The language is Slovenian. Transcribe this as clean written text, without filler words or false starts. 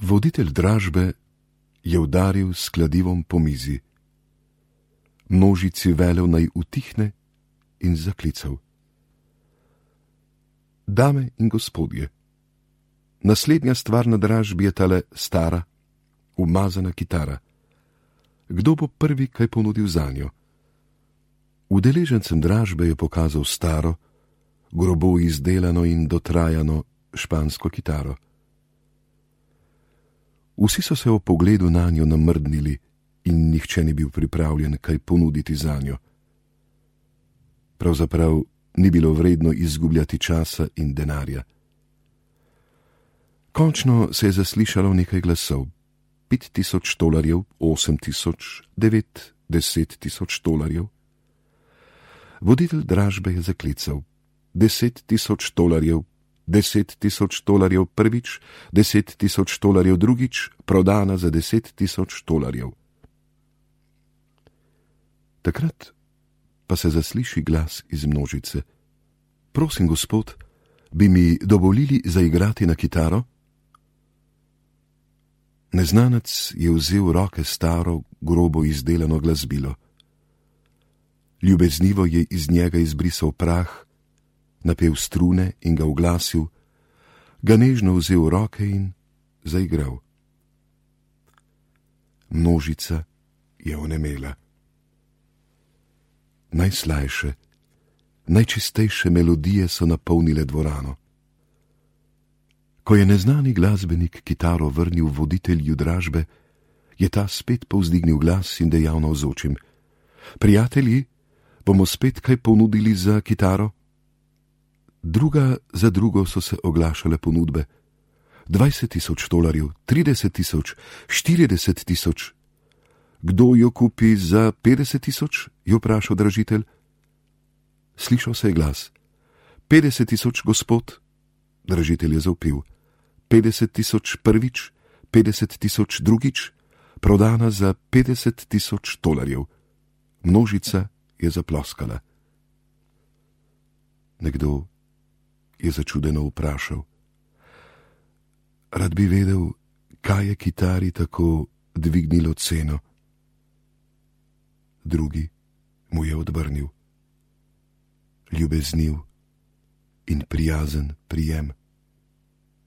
Voditelj dražbe je udaril s kladivom po mizi. Množici velel naj utihne in zaklical. Dame in gospodje, naslednja stvar na dražbi je tale stara, umazana kitara. Kdo bo prvi kaj ponudil zanjo? Udeležencem dražbe je pokazal staro, grobo izdelano in dotrajano špansko kitaro. Vsi so se ob pogledu na njo namrdnili in nihče ni bil pripravljen kaj ponuditi zanjo. Pravzaprav ni bilo vredno izgubljati časa in denarja. Končno se je zaslišalo nekaj glasov. 5000 tolarjev, 8000, 9, 10 000 tolarjev. Voditelj dražbe je zaklical. 10 000 tolarjev, 10 000 tolarjev prvič, 10 000 tolarjev drugič, prodana za 10 000 tolarjev. Takrat pa se zasliši glas iz množice. Prosim, gospod, bi mi dovolili zaigrati na kitaro? Neznanec je vzel v roke staro, grobo izdelano glasbilo. Ljubeznivo je iz njega izbrisal prah, napel strune in ga uglasil, ga nežno vzel v roke in zaigral. Množica je onemela. Najslajše, najčistejše melodije so napolnile dvorano. Ko je neznani glasbenik kitaro vrnil voditelju dražbe, je ta spet povzdignil glas in dejal navzočim: Prijatelji, bomo spet kaj ponudili za kitaro? Druga za drugo so se oglašale ponudbe. 20 000 tolarjev, 30 000, 40 000. Kdo jo kupi za 50 000? Je vprašal dražitelj. Slišal se je glas. 50 000, gospod. Dražitelj je zavpil. 50 000 prvič, 50 000 drugič, prodana za 50 000 tolarjev. Množica je zaploskala. Nekdo je začudeno vprašal. Rad bi vedel, kaj je kitari tako dvignilo ceno. Drugi mu je odvrnil. Ljubezniv in prijazen prijem.